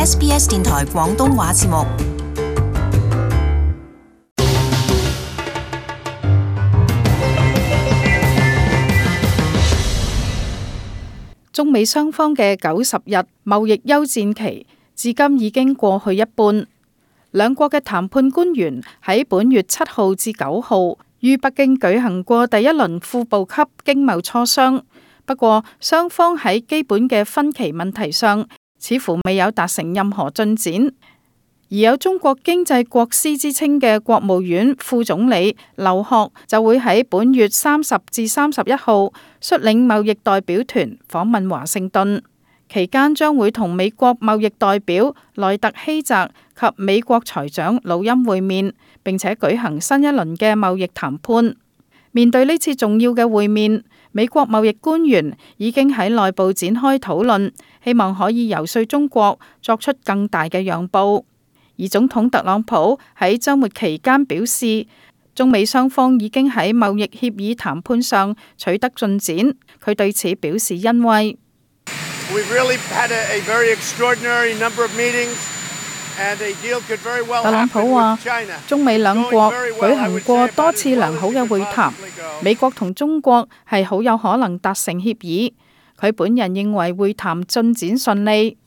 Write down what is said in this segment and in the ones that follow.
SBS 電台廣東話節目。中美雙方嘅90日貿易休戰期至今已經過去一半，兩國嘅談判官員喺本月7號至9號於北京舉行過第一輪副部級經貿磋商。不過，雙方喺基本嘅分歧問題上似乎未有達成任何進展。而有中國經濟國師之稱嘅國務院副總理劉鶴就會喺本月30至31號率領貿易代表團訪問華盛頓，期間將會同美國貿易代表萊特希澤及美國財長魯欽會面，並且舉行新一輪嘅貿易談判。面對呢次重要嘅會面，美國貿易官員已經喺內部展開討論，希望可以遊說中國作出更大嘅讓步。而總統特朗普喺週末期間表示，中美雙方已經喺貿易協議談判上取得進展，佢對此表示欣慰。特朗普話，中美兩國舉行過多次良好嘅會談，美國同中國係好有可能達成協議。佢本人認為會談進展順利。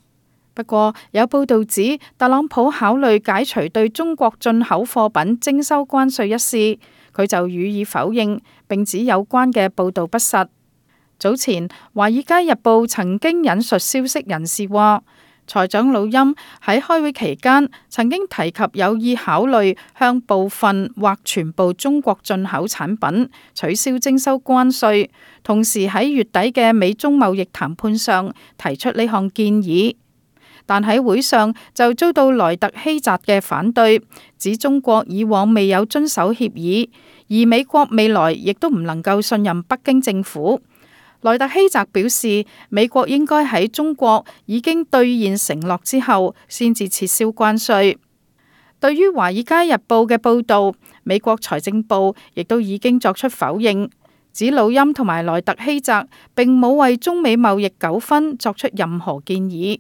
不過有報道指，特朗普考慮解除對中國進口貨品徵收關稅一事，佢就予以否認，並指有關嘅報道不實。早前《華爾街日報》曾經引述消息人士話，財長魯欽喺開會期間曾經提及有意考慮向部分或全部中國進口產品取消徵收關稅，同時喺月底嘅美中貿易談判上提出呢項建議。但喺會上就遭到萊特希澤嘅反對，指中國以往未有遵守協議，而美國未來亦都唔能夠信任北京政府。萊特希澤表示，美國應該喺中國已經兌現承諾之後，先至撤銷關稅。對於《華爾街日報》嘅報導，美國財政部亦都已經作出否認，指魯欽同埋萊特希澤並冇為中美貿易糾紛作出任何建議。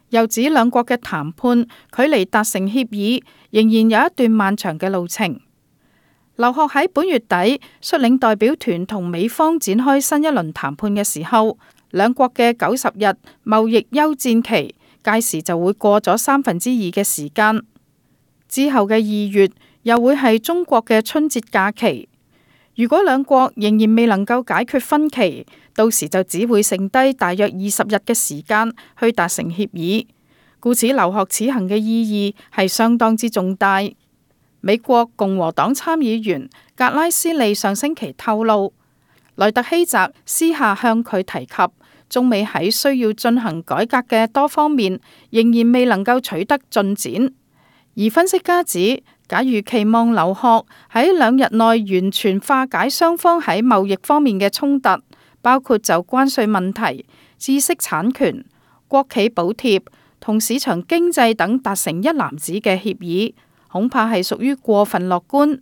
又指兩國嘅談判距離達成協議仍然有一段漫長嘅路程。劉鶴喺本月底率領代表團同美方展開新一輪談判嘅時候，兩國嘅90日貿易休戰期屆時就會過咗2/3嘅時間。之後嘅2月又會係中國嘅春節假期。如果兩國仍然未能夠解決分歧，到時就只會剩低大約20日嘅時間去達成協議。故此，劉鶴此行嘅意義係相當之重大。美國共和黨參議員格拉斯利上星期透露，萊特希澤私下向佢提及，中美喺需要進行改革嘅多方面仍然未能夠取得進展。而分析家指，假如期望劉鶴喺2日內完全化解雙方喺貿易方面嘅衝突，包括就關稅問題、知識產權、國企補貼同市場經濟等達成一籃子嘅協議，恐怕係屬於過分樂觀。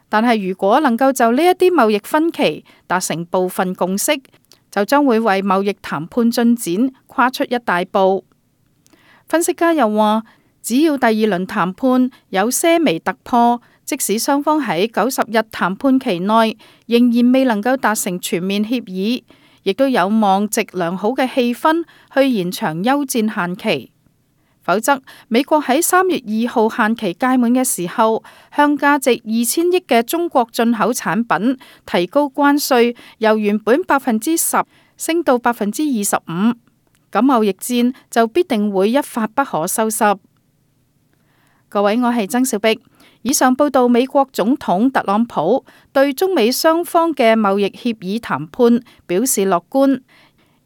但係如果能夠就呢一啲貿易分歧達成部分共識，就將會為貿易談判進展跨出一大步。分析家又話，只要第2輪談判有些微突破，即使雙方喺90日談判期內仍然未能夠達成全面協議，亦都有望藉良好嘅氣氛去延長休戰限期。否則，美國喺3月2號限期屆滿嘅時候，向價值2000億嘅中國進口產品提高關稅，由原本10%升到25%，咁貿易戰就必定會一發不可收拾。各位，我係曾小碧。以上報道美國總統特朗普對中美雙方嘅貿易協議談判表示樂觀，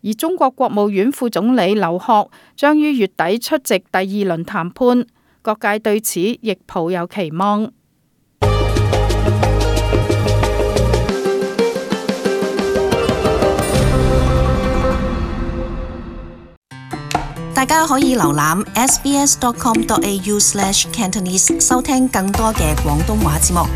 而中國國務院副總理劉鶴將於月底出席第2輪談判，各界對此亦抱有期望。大家可以瀏覽 sbs.com.au/cantonese 收聽更多嘅廣東話節目。